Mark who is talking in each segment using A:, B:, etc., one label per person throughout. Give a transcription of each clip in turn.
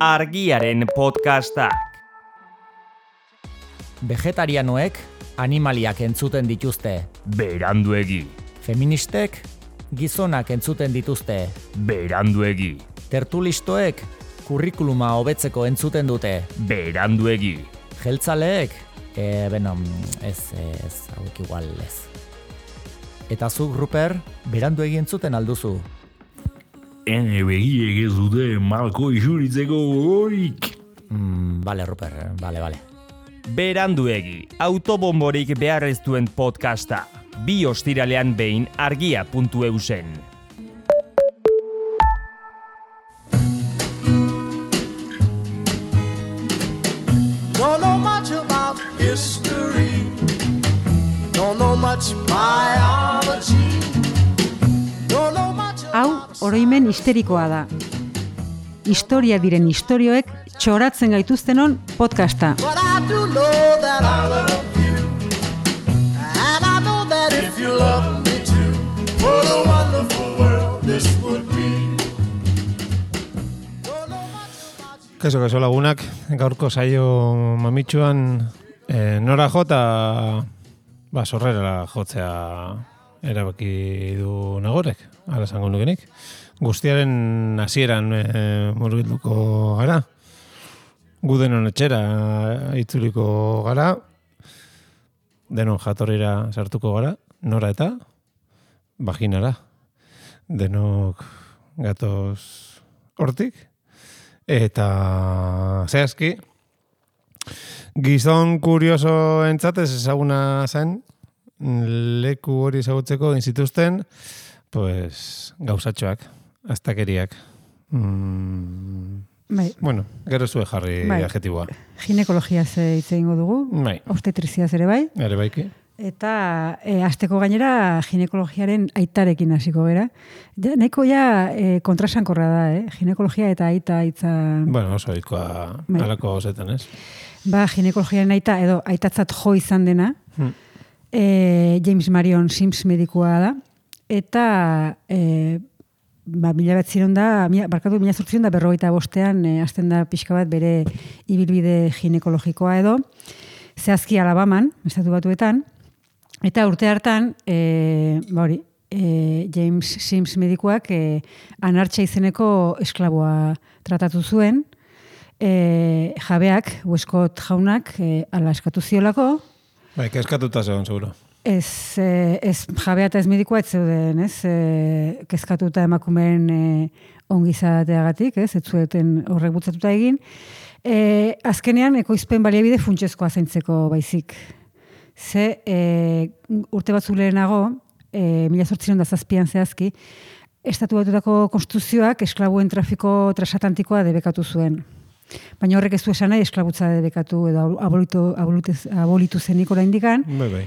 A: Argiaren podcastak.
B: Vegetarianoek animaliak entzuten dituzte.
A: Beranduegi.
B: Feministek gizonak entzuten dituzte.
A: Beranduegi.
B: Tertulistoek kurrikuluma hobetzeko entzuten dute.
A: Beranduegi.
B: Jeltzaleek, hauek igual ez. Eta zuk, Ruper, beranduegi entzuten alduzu.
C: Ene begiek ez dute malko isuritzeko gogorik.
B: Bale, Ruper, bale.
A: Beranduegi, autobomborik behar ez duen podcasta. 2 ostiralean behin argia.eusen.
D: Don't know much about history. Don't know much biology. Don't know much
E: Hau, oroimen histerikoa da. Historia diren istorioek txoratzen gaituztenon podcasta.
D: But I do know that I love you. And I know that if you love me too, what a wonderful world this would be.
F: Kaso lagunak, gaurko saio mamitsuan nora jota sorrera jotzea erabaki du Nagorek, hala esango nukenik. Guztiaren hasieran murgilduko gara. Gu denon etxera itzuliko gara. Denon jatorrira sartuko gara. Nora eta vaginara. Denok gatoz hortik. Eta zehazki, gizon kurioso entzatez ezaguna zen, leku hori ezagutzeko inzituzten, pues, gauzatxoak, aztakeriak. Bueno, gero zue jarri adjetiboa.
E: Ginekologiaz hitz egingo dugu, obstetriziaz ere bai.
F: Ere baiki.
E: Eta hasteko gainera ginekologiaren aitarekin hasiko gera. Nahiko kontrasankorra da, ginekologia eta aita hitza.
F: Bueno, oso ohikoa halako gauzetan, ez?
E: Ginekologiaren aita edo aitatzat jo izan dena. James Marion Sims medikua da. Eta 1945ean hasten da pixka bat bere ibilbide ginekologikoa edo. Zehazki Alabaman, estatu batuetan. Eta urte hartan, James Sims medikuak anartxa izeneko esklaboa tratatu zuen. Jabeak, Westcott jaunak, ala eskatu ziolako.
F: Kezkatuta zegoen, seguro.
E: Ez jabea eta ez medikoa ez zeuden, ez? Kezkatuta emakumeen ongizateagatik, ez? Ez zueten horrek bultzatuta egin. Azkenean, ekoizpen baliabide funtsezkoa zaintzeko baizik. Ze urte batzuk lehenago, 1807an zehazki, estatu batutako konstituzioak esklabuen trafiko transatlantikoa debekatu zuen. Baina horrek ez du esan nahi esklabutza debekatu edo abolitu zenik oraindikan.
F: Bai.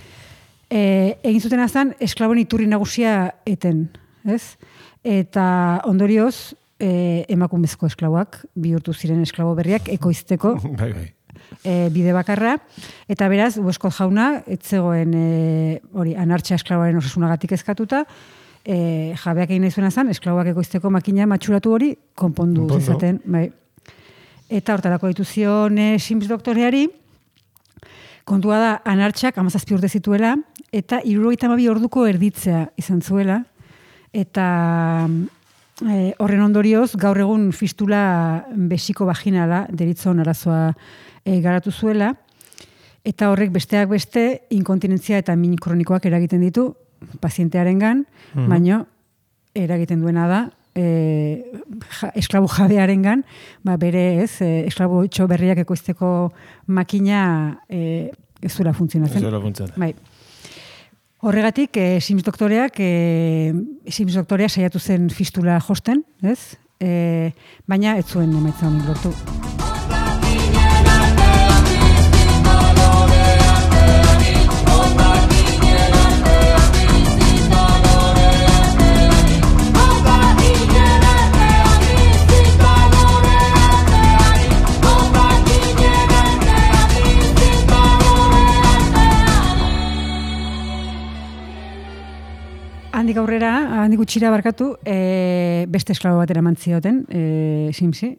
E: Egin zuten azan, esklaboen iturri nagusia eten, ez? Eta ondorioz, emakumezko esklaboak bihurtu ziren esklabo berriak ekoizteko.
F: Bai.
E: Bide bakarra, eta beraz, Westcott jauna, etzegoen anartxa esklaboaren osasunagatik eskatuta, jabeak egin nahi zuen azan, esklaboak ekoizteko makina matxuratu hori konpondu zezaten. Bai. Eta hortarako ditu zion Sims doktoreari, kontua da, anartxak 17 urte zituela, eta 72 orduko erditzea izan zuela, eta horren ondorioz, gaur egun fistula besiko vaginala deritzon arazoa garatu zuela, eta horrek besteak beste inkontinentzia eta min kronikoak eragiten ditu pazientearengan, baino eragiten duena da esklabu jabearengan, bere esklabu etxo berriak ekoizteko makina ez duela funtzionatzen. Bai. Horregatik, Sims doktorea saiatu zen fistula josten, ez? Baina ez zuen emaitza honik lortu. Handik aurrera, handik gutxira barkatu, beste esklabo batera mantzioten, Simsi,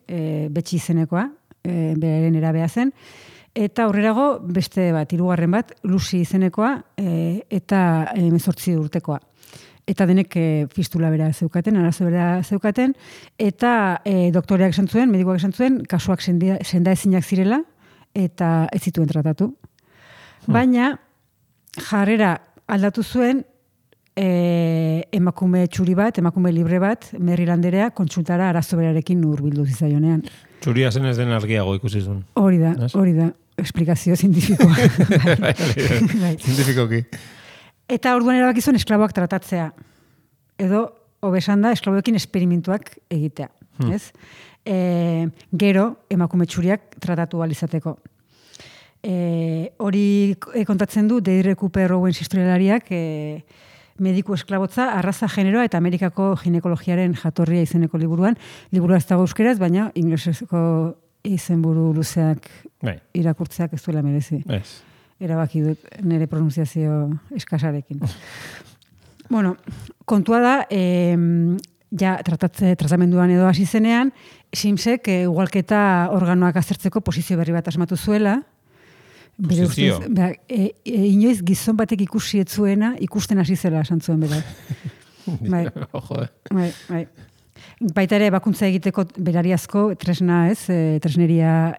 E: betxi izenekoa, beraren erabea zen, eta aurrerago beste bat, hirugarren bat, Lucy izenekoa, eta 18 urtekoa. Eta denek fistula bera zeukaten, arazo bera zeukaten, eta doktoreak esan zuen, medikoak esan zuen, kasuak senda ezinak zirela, eta ez zituen tratatu. Baina, jarrera aldatu zuen, emakume txuri bat, emakume libre bat, Marylanderea kontsultara arazo berarekin hurbildu zitzaionean.
F: Txuria zen ez den argiago ikusi zuen.
E: Hori da, esplikazio zientifikoa.
F: Zientifikoki.
E: Eta orduan erabaki zuen esklaboak tratatzea. Edo, hobesan da, esklaboekin esperimentuak egitea. Ez? Gero, emakume txuriak tratatu alizateko. Hori kontatzen du, Deirdre Cooper Owens historialariak mediku esklabotza, arraza generoa eta Amerikako ginekologiaren jatorria izeneko liburuan. Liburua ez dago euskeraz, baina inglesezko izenburu luzeak irakurtzeak ez duela merezi. Erabaki dut nire pronunziazio eskasarekin. Bueno, kontua da, tratamenduan edo hasi zenean, Simsek ugalketa organoak aztertzeko posizio berri bat asmatu zuela.
F: Posizio?
E: Inoiz gizon batek ikusi etzuena ikusten hasi zela esan zuen berak. Bai. Baita ere, bakuntza egiteko berariazko tresna, tresneria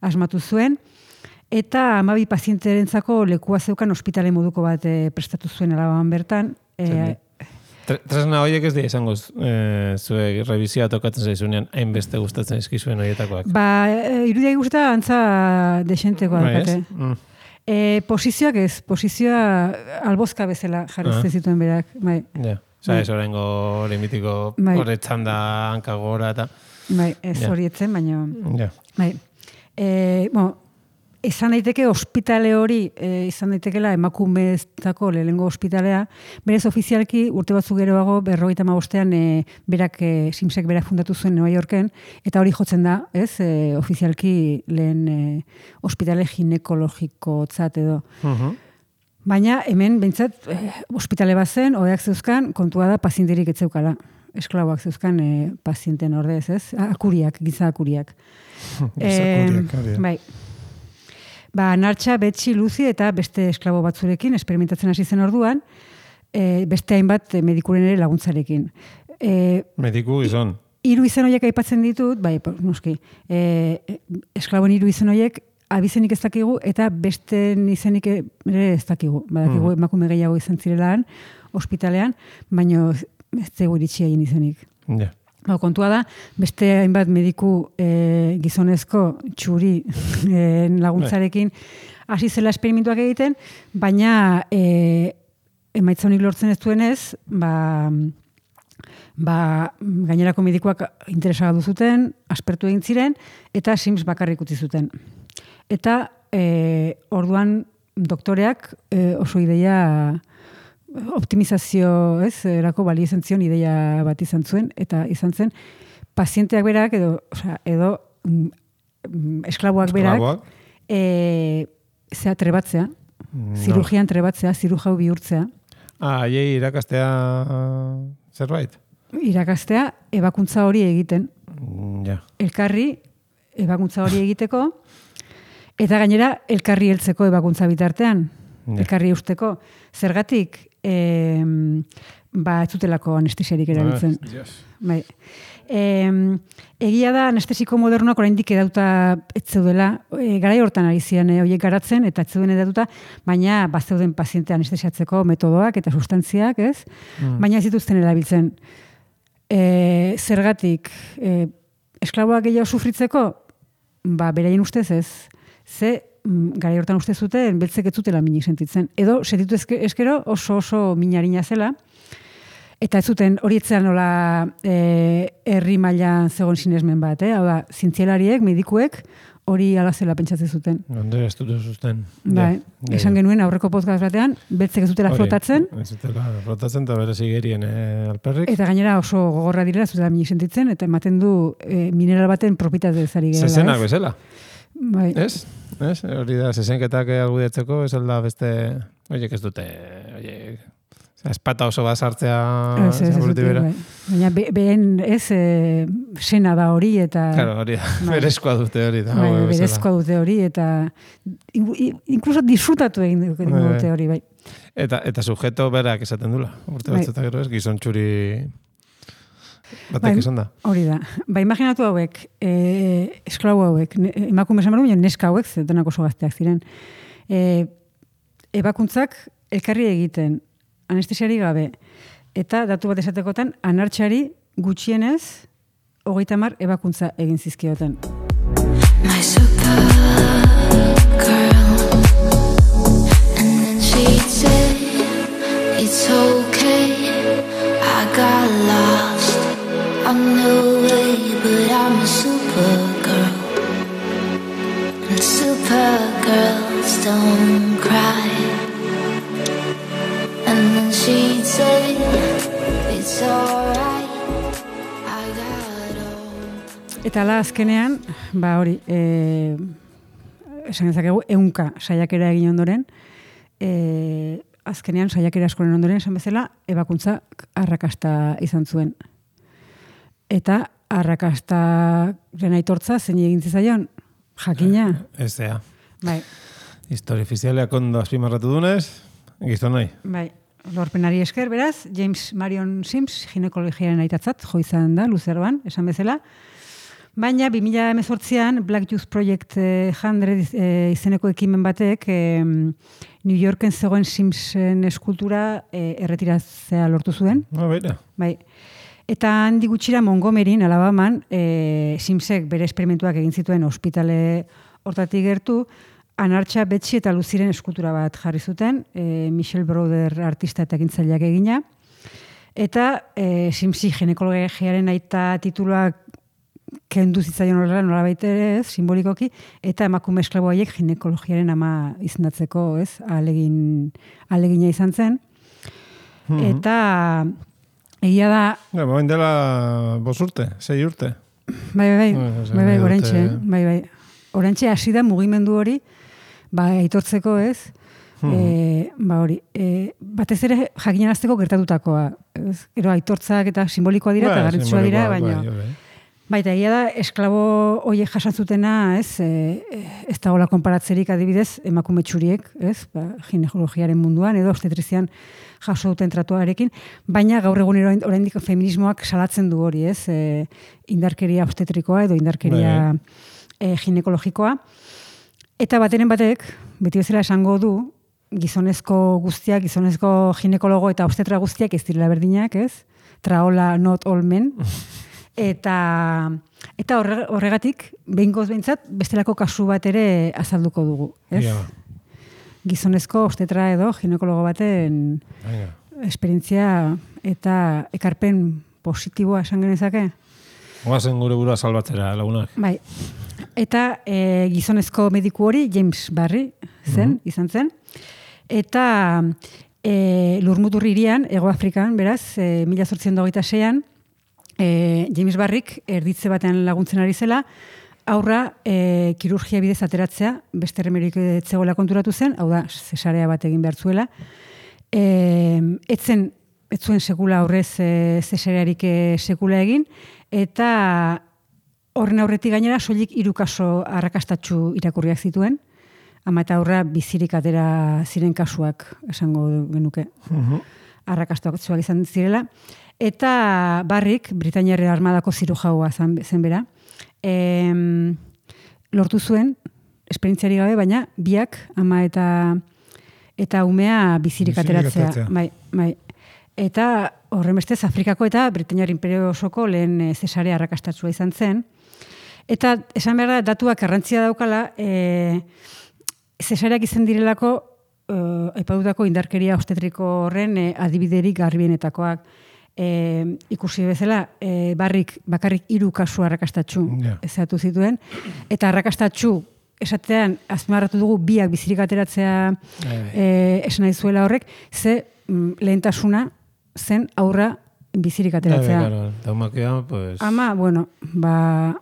E: asmatu zuen. Eta 12 pazienterentzako lekua zeukan ospitale moduko bat prestatu zuen Alaban bertan.
F: Tresna horiek ez dira izango zuek revizioa tokatzen zaizunean hainbeste gustatzen eskizuen horietakoak.
E: Irudiak guztia antza desentekoa dakate. Posizioak ez, posizioa albozka bezala jarrezte zituen berak.
F: Ez horrengo hori mitiko horretzan da hankagora eta...
E: Ez horietzen, baina... Izan daiteke ospitale hori, izan daitekela emakumeztako lehenengo ospitalea, berez ofizialki urte batzuk geroago 55ean berak Simsek berak fundatu zuen New Yorken, eta hori jotzen da, ofizialki lehen ospitale ginekologikotzat edo. Baina hemen behintzat ospitale bat zen, odeak zeuzkan, kontua da pazienterik etzeukala. Esklaboak zeuzkan pazienten ordez, akuriak, giza akuriak. Bai. Nartxa, Betxi, Luzi eta beste esklabo batzurekin experimentatzen hasi zen orduan, beste hainbat medikuren ere laguntzarekin.
F: Mediku izan?
E: 3 izen horiek aipatzen ditut, bai, noski, esklaboen 3 izen horiek abizenik ez dakigu eta beste izenik ere ez dakigu. Badakigu emakume gehiago izan zirelaan, ospitalean, baina ez zego iritsi egin izenik. Kontua da, beste hainbat mediku gizonezko txuri laguntzarekin hasi zela esperimentuak egiten, baina emaitza honik lortzen ez duenez, gainerako medikuak interesagatu zuten, aspertu egin ziren, eta Sims bakarrik utzi zuten. Eta orduan doktoreak oso ideia optimizazio, erako balio izan zion ideia bat izan zuen, eta izan zen, pazienteak berak, edo esklaboak berak, trebatzea, zirugian trebatzea, zirujau bihurtzea.
F: Haiei irakastea zerbait?
E: Irakastea, ebakuntza hori egiten. Elkarri, ebakuntza hori egiteko, eta gainera, elkarri heltzeko ebakuntza bitartean. Elkarri usteko. Zergatik, ez zutelako anestesiarik erabiltzen. Egia da anestesiko modernoak oraindik edauta ez zeudela, garai hortan ari ziren horiek garatzen, eta ez zeuden edatuta, baina bazeuden paziente anestesiatzeko metodoak eta sustantziak, baina ez dituzten erabiltzen. Zergatik, esklaboak gehiago sufritzeko, beraien ustez ez, garai hortan uste zuten, beltzek ez zutela minik sentitzen. Edo, sentitu eskero oso minarina zela, eta ez zuten hori etzean nola herri mailan zegoen sinesmen bat, hau da, zientzialariek, medikuek, hori ala zela pentsatzen zuten.
F: Onde ez dute zuzten.
E: Esan genuen aurreko podcast batean, beltzek ez zutela flotatzen.
F: Ez zutela flotatzen eta berez igerien alperrik.
E: Eta gainera oso gogorra direla, zutela minik sentitzen, eta ematen du mineral baten propitate zari gerela.
F: Zezenak bezala.
E: Ez?
F: Hori da, zezenketak argudiatzeko, ez alda beste, horiek ez dute, Espata oso bat sartzea
E: Ez,
F: zaburuti bera.
E: bai. Baina behen ez sena da hori eta...
F: Claro, hori da. Berezkoa dute hori da.
E: Bai, berezkoa dute hori eta incluso disfrutatu egin dute hori, bai.
F: Eta sujeto berak esaten dula. Urte batzuetan gero ez, gizon txuri batek esan da.
E: Hori da. Ba, imaginatu hauek, esklau hauek, emakume esan baina neska hauek, zetenak oso gazteak ziren. Ebakuntzak elkarri egiten, anestesiari gabe, eta datu bat esatekotan, anartxari gutxienez 30 ebakuntza egin zizkioten.
G: My super girl, and then she'd say, it's okay, I got lost on the way, but I'm a super girl, and super girls don't cry. And then she'd say, it's alright, I got all.
E: Eta ala azkenean, ba hori, esan ezakegu, 100 saiakera egin ondoren, azkenean saiakera askoren ondoren, esan bezala, ebakuntza arrakasta izan zuen. Eta arrakastaren aitortza zein egin zizaion, jakina.
F: Ez da.
E: Bai,
F: Historia ofizialeak ondo azpimarratu dunez, gizonai.
E: bai. Lorpenari esker, beraz, James Marion Sims, ginekologiaren aitatzat, jo izan da, luzeroan, esan bezala. Baina, 2018an, Black Youth Project 100 izeneko ekimen batek, New Yorken zegoen Simsen eskultura erretiratzea lortu zuen.
F: Baina.
E: Bai. Eta handi gutxira Montgomeryn, Alabaman, Simsek bere esperimentuak egin zituen ospitale hortatik gertu, Anartxa, Betsy eta Luziren eskultura bat jarri zuten, Michelle Browder artista eta ekintzaileak egina. Eta Simsi ginekologiaren aita tituluak kendu zitzaion horrela nolabait ere, ez, simbolikoki, eta emakume esklabo haiek ginekologiaren ama izendatzeko, ez, ahalegina izan zen. Eta egia da...
F: Baina dela 5 urte, 6 urte.
E: Bai, orantxe, bai. Orantxe hasi da mugimendu hori, ba, aitortzeko ez, ba hori, batez ere jakinarazteko gertatutakoa. Gero aitortzak eta simbolikoa dira, eta garrantzitsua dira, baina... Baita, egia da, esklabo horiek jasantzutena, ez, ez dagoela konparatzerik adibidez, emakume txuriek, ez, ba, ginekologiaren munduan, edo obstetrizian jaso duten tratuarekin, baina gaur egun oraindik feminismoak salatzen du hori, ez, indarkeria obstetrikoa edo indarkeria ginekologikoa. Eta bateren batek, beti bezala esango du, gizonezko guztiak, gizonezko ginekologo eta obstetra guztiak ez direla berdinak, ez? Traola, not all men. Eta horregatik, behingoz behintzat, bestelako kasu bat ere azalduko dugu, ez?
F: Ja.
E: Gizonezko obstetra edo ginekologo baten esperientzia eta ekarpen positiboa esan genezake.
F: Oazen gure burua salbatzera, lagunak.
E: Bai. Eta gizonezko mediku hori James Barry izan zen. Eta Lurmutur hirian, Hego Afrikan, beraz, 1826an, James Barryk erditze batean laguntzen ari zela, aurra kirurgia bidez ateratzea, beste remerik etzegoela konturatu zen, hau da, zesarea bat egin behar zuela. Ez zuen sekula aurrez zesarearik sekula egin, eta horren aurretik gainera, soilik 3 kaso arrakastatsu irakurriak zituen, ama eta aurra bizirik atera ziren kasuak esango genuke. Arrakastatsuak izan zirela. Eta Barryk, Britainiar armadako zirujaua zen bera, lortu zuen, esperientziari gabe, baina biak, ama eta umea bizirik ateratzea. Bai. Eta horren bestez, Afrikako eta Britainiar Imperio osoko lehen zesarea arrakastatsua izan zen. Eta esan behar da, datuak garrantzia daukala, zesareak izan direlako, aipatutako indarkeria obstetriko horren adibiderik garbienetakoak. Ikusi bezala, Barryk bakarrik 3 kasu arrakastatsu ezatu zituen, eta arrakastatsu esatean azpimarratu dugu biak bizirik ateratzea esan nahi zuela horrek, ze lehentasuna zen aurra bizirik ateratzea.
F: Daumakea, pues...
E: Ama, bueno, ba,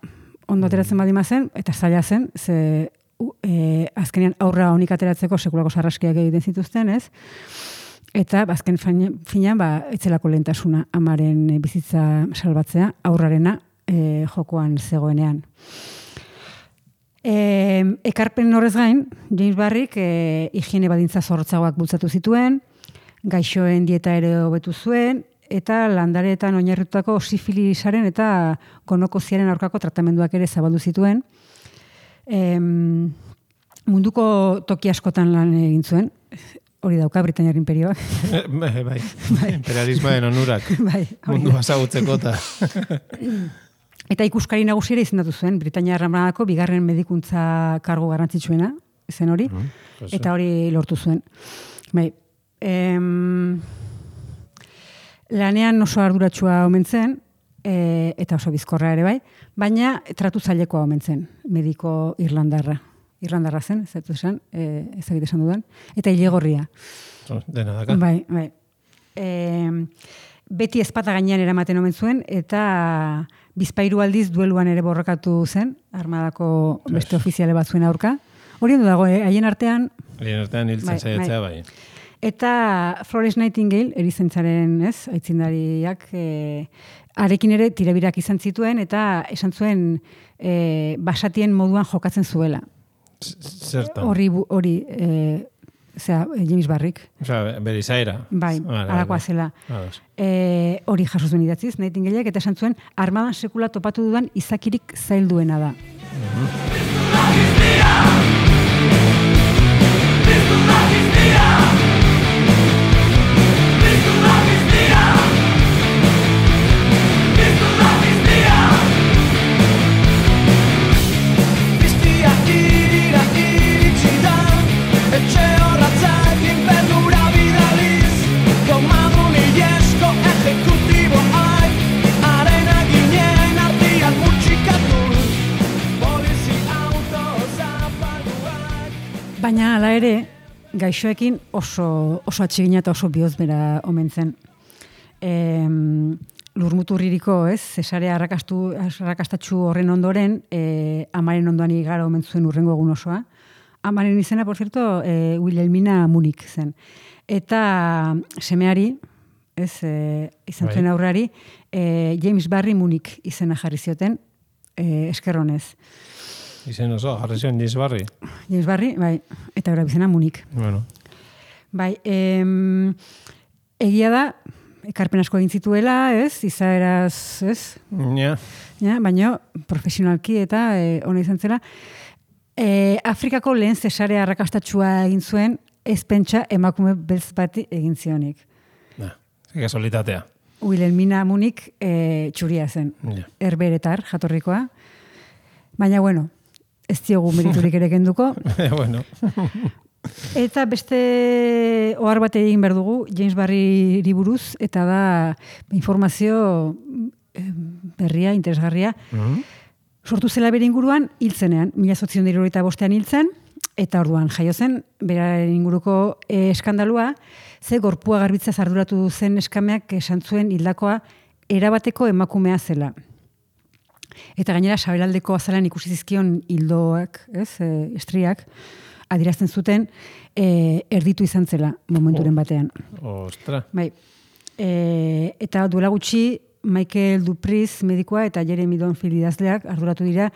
E: ondo ateratzen badima zen, eta zaila zen, ze azkenean aurra honik ateratzeko sekulako sarraskiak egiten zituzten, ez? Eta azken finean etzelako lehentasuna amaren bizitza salbatzea, aurrarena jokoan zegoenean. Ekarpen horrez gain, James Barrik higiene badintza zorrotzagoak bultzatu zituen, gaixoen dieta ere hobetu zuen, eta landareetan oinarritutako sifilisaren eta gonokoziaren aurkako tratamenduak ere zabaldu zituen. Munduko toki askotan lan egin zuen, hori dauka Britainiar imperioak.
F: Bai. Imperialismoen onurak.
E: Bai,
F: mundu azagutzeko eta...
E: Eta ikuskari nagusi ere izendatu zuen, Britainiar Armadako bigarren medikuntza kargu garrantzitsuena, zen hori, eta hori lortu zuen. Bai, lanean oso arduratsua omen zen, eta oso bizkorra ere bai, baina tratu zailekoa omen zen, mediko irlandarra. Irlandarra zen, ez dut esan, ezagite esan dudan, eta ilegorria.
F: Dena daka.
E: Bai. Beti ezpata gainean eramaten omen zuen, eta bizpairu aldiz dueluan ere borrokatu zen, armadako beste ofiziale bat zuen aurka. Hori ondo dago, haien artean...
F: Haien artean hiltzen saiatzea bai.
E: Eta Florence Nightingale, erizaintzaren aitzindariak, arekin ere tirabirak izan zituen, eta esan zuen basatien moduan jokatzen zuela.
F: Zertan?
E: Hori James Barrik.
F: Osea, bere izaera.
E: Bai, alakoa zela. Hori jaso zuen idatziz, Nightingaleak, eta esan zuen, armadan sekula topatu dudan izakirik zailduena da. Baina hala ere, gaixoekin oso atsegina eta oso bihozbera omen zen. Lurmuturririko, zesarea arrakastatxu horren ondoren, amaren ondoan igara omen zuen urrengo egun osoa. Amaren izena, por cierto, Wilhelmina Munich zen. Eta semeari, izan zuen aurrari, James Barry Munich izena jarri zioten, eskerronez.
F: Izen oso, jarri zion James Barry.
E: James Barry, bai, eta gora bizena Munich.
F: Bueno.
E: Bai, egia da, ekarpen asko egin zituela, izaeraz,
F: Ja.
E: Baina profesionalki eta ona izan zela. Afrikako lehen zesarea arrakastatxua egin zuen, ez pentsa emakume beltz bati egin zionik.
F: Kasualitatea.
E: Wilhelmina Munich txuria zen, herberetar jatorrikoa. Baina, bueno, ez diogu meriturik ere kenduko.
F: Bueno.
E: Eta beste ohar bat egin behar dugu, James Barry buruz, eta da informazio berria, interesgarria. Sortu zela bere inguruan, hiltzenean, 1875 hiltzen, eta orduan jaio zen, beraren inguruko eskandalua, ze gorpua garbitzaz arduratu zen eskameak esan zuen hildakoa erabateko emakumea zela. Eta gainera, sabelaldeko azalan ikusi zizkion hildoak, estriak, adierazten zuten, erditu izan zela momenturen batean.
F: Ostra.
E: Bai. Eta duela gutxi, Michael Dupriz medikoa eta Jeremy Donfield idazleak arduratu dira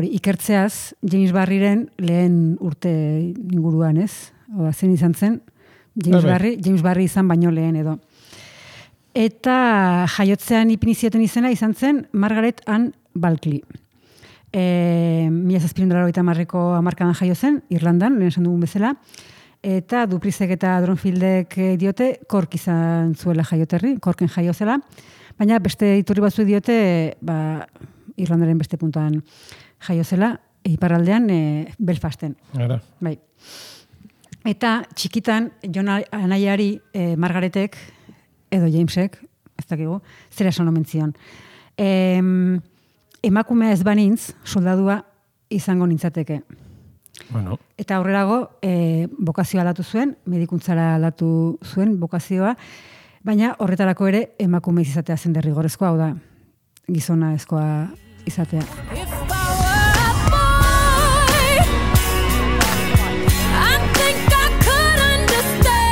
E: ikertzeaz James Barryren lehen urte inguruan, zen izan zen, James Barry izan baino lehen edo. Eta jaiotzean ipinizioten izena izan zen Margaret Ann Balkley. 1790ko hamarkadan jaio zen, Irlandan, lehen esan dugun bezala, eta Duprizek eta Dronfieldek diote Cork izan zuela jaioterri, Corken jaio zela, baina beste iturri batzu diote Irlandaren beste puntuan jaio zela, iparraldean Belfasten. Bai. Eta txikitan, Jon anaiari Margaretek, edo Jamesek, ez dakigu, zera esan omen zion. Emakumea ez banintz, soldadua izango nintzateke.
F: Bueno.
E: Eta aurrerago, bokazioa aldatu zuen, medikuntzara aldatu zuen bokazioa, baina horretarako ere emakume izatea zen derrigorrezkoa, hau da, gizona ezkoa izatea.
G: I think I could understand.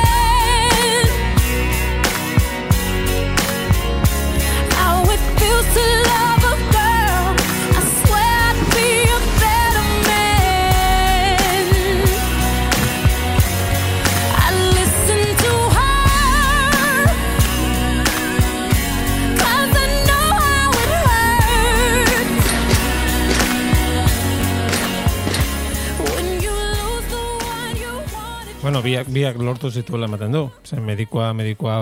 F: Bueno, biak lortu zituela ematen du. Zen medikoa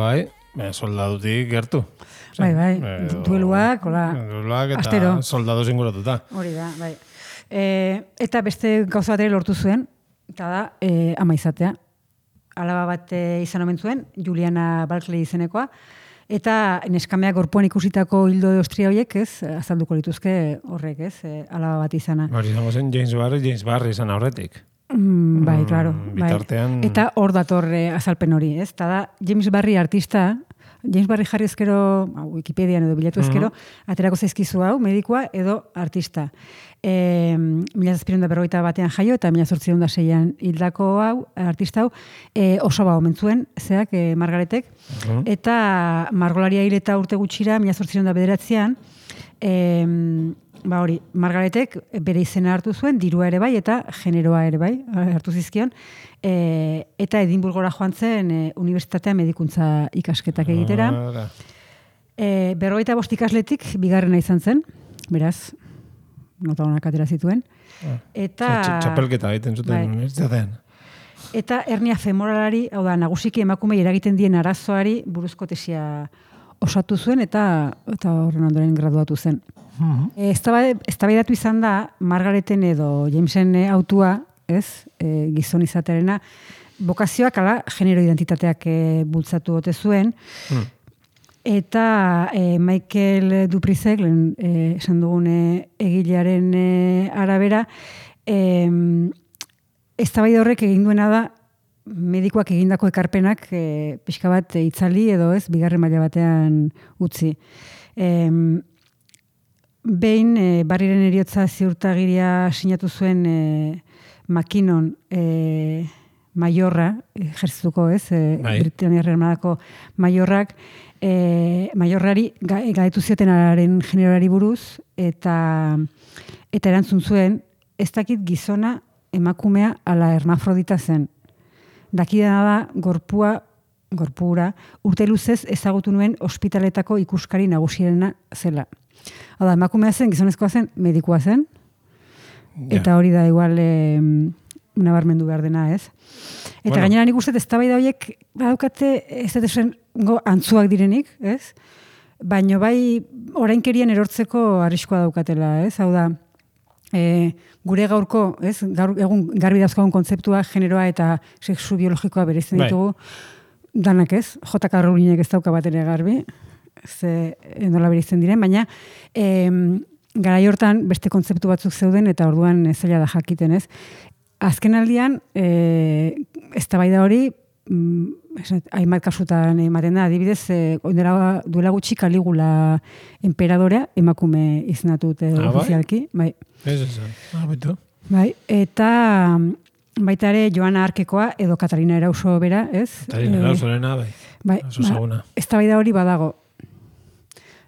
F: bai, soldadutik gertu.
E: Bai, dueluak,
F: Dueluak eta
E: astero.
F: soldadu zinguratuta.
E: Hori da, bai. Eta beste gauza bat ere lortu zuen, eta da, ama izatea. Alaba bat izan omen zuen, Juliana Barclay izenekoa, eta neskameak gorpuan ikusitako hildo de ostria horiek, ez, azalduko lituzke horrek, ez, alaba bat izana.
F: Hori izango zen James Barry izan aurretik.
E: Bai, claro.
F: Bitartean...
E: Bai. Eta hor dator azalpen hori, ez? Eta da, James Barry artista, James Barry jarri ezkero, Wikipedian edo bilatu ezkero, aterako zaizkizu hau, medikoa edo artista. 1741 batean jaio eta 1806an hildako hau, artista hau, oso omen zuen, zeak, Margaretek, eta margolaria hil eta urte gutxira, 1809an, hori, Margaretek bere izena hartu zuen, dirua ere bai, eta generoa ere bai, hartu zizkion, eta Edinburgora joan zen Unibertsitatea medikuntza ikasketak egitera. 45 ikasletik bigarrena izan zen, beraz, nota honak atera zituen. Eta...
F: Txapelketa egiten zuten unibertsitatean.
E: Eta hernia femoralari, hau da, nagusiki emakumei eragiten dien arazoari buruzko tesia osatu zuen, eta horren ondoren graduatu zen. Eztabaidatu izan da, Margareten edo Jamesen autua, ez, gizon izatearena, bokazioak ala genero identitateak bultzatu ote zuen, eta Michael Duprizek, esan dugun egilearen arabera, eztabaida horrek egin duena da, medikoak egindako ekarpenak pixka bat itzali edo ez, bigarren maila batean utzi. Behin, Barriren heriotza ziurtagiria sinatu zuen Makinon maiorra, ejerzituko ez, Britaniarra Armadako maiorrak, maiorrari galetu ziotenaren generoari buruz, eta erantzun zuen, ez dakit gizona emakumea ala hermafrodita zen. Dakidana da, gorpura, urte luzez ezagutu nuen ospitaletako ikuskari nagusierena zela. Hau da, emakumea zen, gizonezkoa zen, medikoa zen, eta hori da igual nabarmendu behar dena, ez? Eta gainera nik uste eztabaida horiek badaukate ez dut esan antzuak direnik, ez? Baina bai orainkerian erortzeko arriskua daukatela, ez? Hau da, gure gaurko, ez? Egun garbi dauzkagun kontzeptua, generoa eta sexu biologikoa bereizten ditugu, danak ez? J.K. Rowlingek ez dauka bat ere garbi, ze nola bereizten diren, baina garai hortan beste kontzeptu batzuk zeuden eta orduan zaila da jakiten, ez? Azken aldian, eztabaida hori, hainbat kasutan ematen da, adibidez, duela gutxi Kaligula enperadorea emakume izenatut ofizialki. Bai. Bai, eta baita ere Joana Arkekoa edo Katarina Erauso bera, ez?
F: Katarina Erausorena, bai. Oso zaguna.
E: Eztabaida hori badago.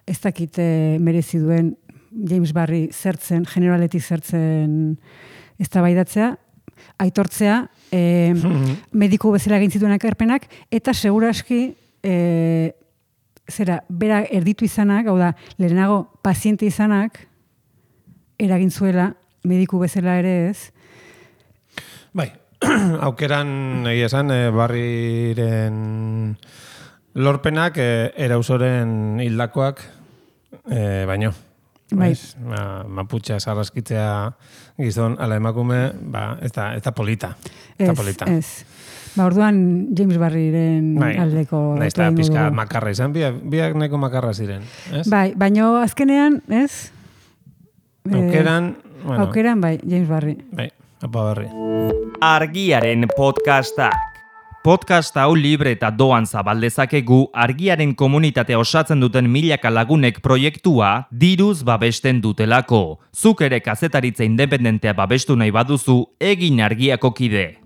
E: Ez dakit merezi duen James Barry zertzen, generaletik zertzen eztabaidatzea, aitortzea, mediku bezala egin zituen ekarpenak, eta seguraski bera erditu izanak, hau da, lehenago paziente izanak, eragin zuela, mediku bezala ere ez.
F: Bai, aukeran egia esan, Barriren lorpenak Erausoren hildakoak baino.
E: Bai.
F: Maputxa sarraskitzea gizon ala emakume, ez da polita.
E: Ez. Orduan James Barriren aldeko...
F: Naiz da pizka makarra izan, biak nahiko makarra ziren.
E: Bai, baino azkenean, ez? Aukeran, bai, James Barry.
F: Bai, apa Barry.
A: Argiaren podcastak. Podcast hau libre eta doan zabaldezakegu Argiaren komunitatea osatzen duten milaka lagunek proiektua diruz babesten dutelako. Zuk ere kazetaritza independentea babestu nahi baduzu, egin Argiako kide.